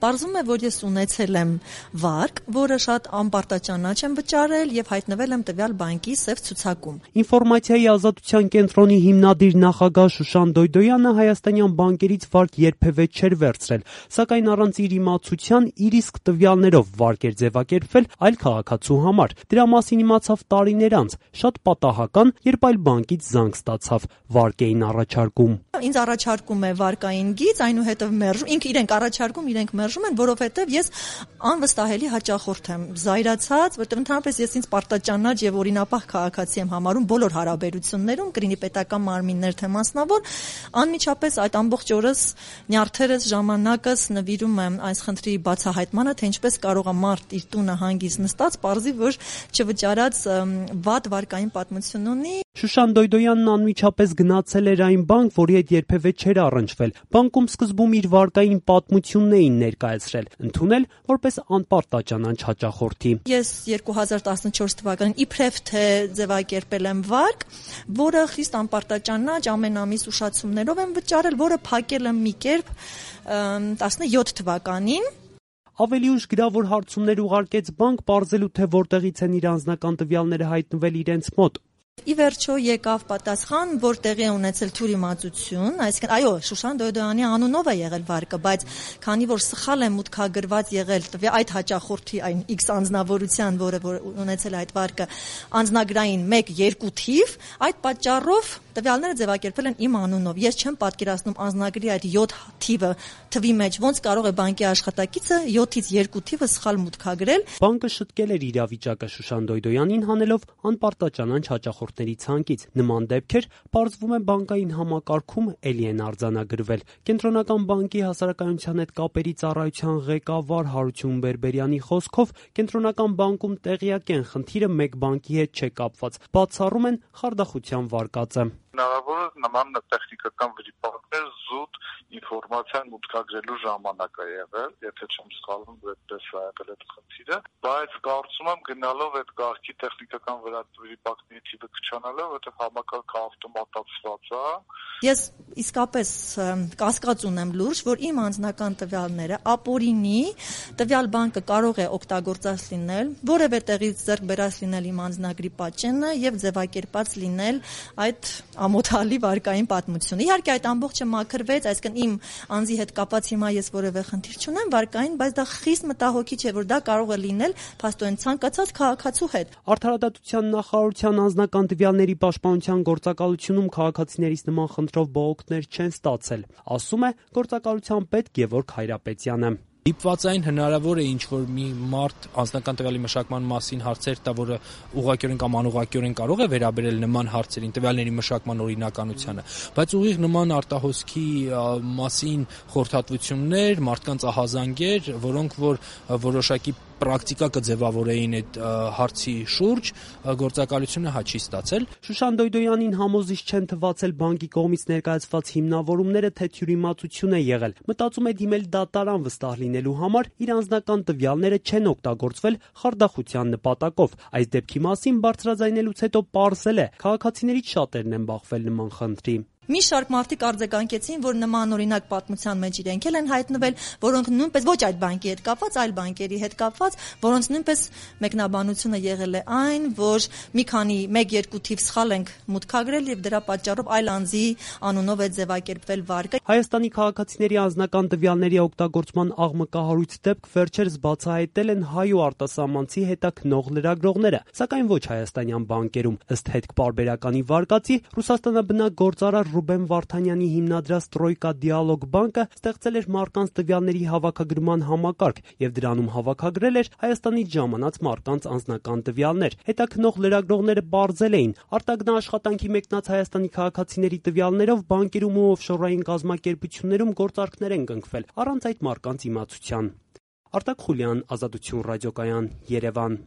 Պարզվում է, որ ես ունեցել եմ վարկ, որը շատ անպարտաճանաչ եմ վճարել եւ հայտնվել եմ տվյալ բանկի սև ցուցակում։ Ինֆորմացիայի ազատության կենտրոնի հիմնադիր նախագահ Շուշան Դոյդոյանը հայաստանյան բանկերից վարկ երբևէ չէր վերցրել, սակայն առանց իր իմացության իր իսկ տվյալներով վարկ էր ձևակերպվել այլ քաղաքացու համար։ Դրա մասին իմացավ տարիներ անց, շատ պատահական, երբ այլ բանկից զանգ ստացավ, վարկ էին առաջարկում։ Ինձ առաջարկում է վարկային գիծ, այնուհետև մերժում, իրենք առաջարկում, իրենք մերժում են, որովհետև ես անվստահելի հաճախորդ եմ, զայրացած, որտեղ ընդհանրապես ես ինձ պարտաճանաչ եւ օրինապահ քաղաքացի եմ համարում բոլոր հարաբերություններում, կրինի պետական մարմիններ թե մասնավոր, անմիջապես այդ ամբողջ օրս նյարդերս, ժամանակս նվիրում եմ այս խնդրի բացահայտմանը, թե ինչպես կարող է մարդ իր տունը հանգիստ նստած, պարզի, որ չվճարած վատ վարկային պատմություն ունի։ Շուշան Դոյդոյանն անմիջապես գնացել էր այն բանկ, որի հետ երբևէ չէր առնչվել։ Բանկում սկզբում իր վարկային պատմությունն էին ներկայացրել, ընդունել որպես անպարտաճանաչ հաճախորդի։ Ես 2014 թվականին իբրև թե ձևակերպել եմ վարկ, որը խիստ անպարտաճանաչ ամեն ամիս ուշացումներով եմ վճարել, որը փակել եմ մի կերպ 17 թվականին։ Ավելի ուշ գրավոր հարցումներ ուղարկեց բանկ, պարզելու թե որտեղից են իր անձնական տվյալները հայտնվել իրենց մոտ։ Ի վերջո եկավ պատասխան, որ տեղի է ունեցել թյուրիմացություն, այսինքն այո, Շուշան Դոյդոյանի անունով է եղել վարկը, բայց քանի որ սխալ է մուտքագրված եղել այդ հաճախորդի այն X անձնավորության, որը ունեցել այդ վարկը, անձնագրային 1-2 թիվ, այդ պատճառով տվյալները ձևակերպվել են իմ անունով։ Ես չեմ պատկերացնում անձնագրի այդ 7 թիվը թվի մեջ ոնց կարող է բանկի աշխատակիցը 7-ից 2 թիվը սխալ մուտքագրել։ Բանկը շտկել էր իրավիճակը Շուշան Դոյդոյանին հանելով անպարտաճանաչ հաճախորդների ցանկից։ Նման դեպքեր, պարզվում է, բանկային համակարգում էլի են արձանագրվել։ Կենտրոնական բանկի հասարակայնության հետ կապերի ծառայության ղեկավար Հարություն Բերբերյանի խոսքով, կենտրոնական բանկում տեղյակ են, խնդիրը մեկ բանկի հետ չէ կապված, բացառում են խարդախության վարկածը։ Հնարավոր է նման տեխնիկական վրիպակներ զուտ ինֆորմացիան մուտքագրելու ժամանակ է եղել, եթե չեմ սխալվում, այդպես է եղել այդ խնդիրը, բայց կարծում եմ գնալով այդ կարգի տեխնիկական վրիպակների թիվը քչանալով, որտեղ համակարգը ավտոմատացված է։ Ես իսկապես կասկած ունեմ լուրջ, որ իմ անձնական տվյալները ապօրինի տվյալ բանկը կարող է օգտագործած լինել, որևէ տեղից ձեռք բերած լինել իմ անձնագրի պատճենը եւ ձևակերպած լինել այդ ամոթալի վարկային պատմությունը։ Իհարկե այդ ամբողջը մաքրվեց, այսինքն իմ անձի հետ կապված հիմա ես որևէ խնդիր չունեմ վարկային, բայց դա խիստ մտահոգիչ է, որ դա կարող է լինել փաստորեն ցանկացած քաղաքացու հետ։ Արդարադատության նախարարության անձնական տվյալների պաշտպանության գործակալությունում քաղաքացիներից նման խնդրով բողոքներ չեն ստացել, ասում է գործակալության պետ Գևորգ Հայրապետյանը։ Դիպվածային հնարավոր է ինչ-որ մի մարդ անձնական տվյալի մշակման մասին հարցեր տա, որը ուղղակիորեն կամ անուղղակիորեն կարող է վերաբերել նման հարցերին, տվյալների մշակման օրինականությանը, բայց ուղիղ նման արտահոսքի մասին խորհրդատվություններ, մարդկանց ահազանգեր, որոնք որ որոշակի պրակտիկա կձևավորեին այդ հարցի շուրջ, գործակալությունը չի ստացել։ Շուշան Դոյդոյանին համոզիչ չեն թվացել բանկի կողմից ներկայացված հիմնավորումները, թե թյուրիմացություն է եղել։ Մտածում է դիմել դատարան վստահ լինելու համար, իր անձնական տվյալները չեն օգտագործվել խարդախության նպատակով։ Այս դեպքի մասին բարձրաձայնելուց հետո պարզել է, քաղաքացիներից շատերն են բախվել նման խնդրի։ Մի շարք մարդիկ արձագանքեցին, որ նման օրինակ պատմության մեջ իրենք են հայտնվել, որոնք նույնպես ոչ այդ բանկի հետ կապված, այլ բանկերի հետ կապված, որոնց նույնպես մեկնաբանությունը եղել է այն, որ մի քանի 1-2 թիվ սխալ ենք մուտքագրել եւ դրա պատճառով այլ անձի անունով է ձևակերպվել վարկը։ Հայաստանի քաղաքացիների անձնական տվյալների օգտագործման աղմկահարույց դեպք վերջերս բացահայտել են հայ ու արտասահմանցի հետաքնող լրագրողները, սակայն ոչ հայաստանյան բանկերում։ Ըստ հետքպարբերականի վարկածի Ռուսաստանաբնակ գործարար Ռուբեն Վարդանյանի հիմնադրած Տրոյկա Դիալոգ բանկը ստեղծել էր մարդկանց տվյալների հավաքագրման համակարգ եւ դրանում հավաքագրել էր Հայաստանից ժամանած մարդկանց անձնական տվյալներ։ Հետաքնող լրագրողները պարզել էին, արտագնահաշխատանքի մեկնած Հայաստանի քաղաքացիների տվյալներով բանկերում ու օֆշորային կազմակերպություններում գործարքներ են կնքվել առանց այդ մարդկանց իմացության։ Արտակ Խուլյան, Ազատություն ռադիոկայան, Երևան։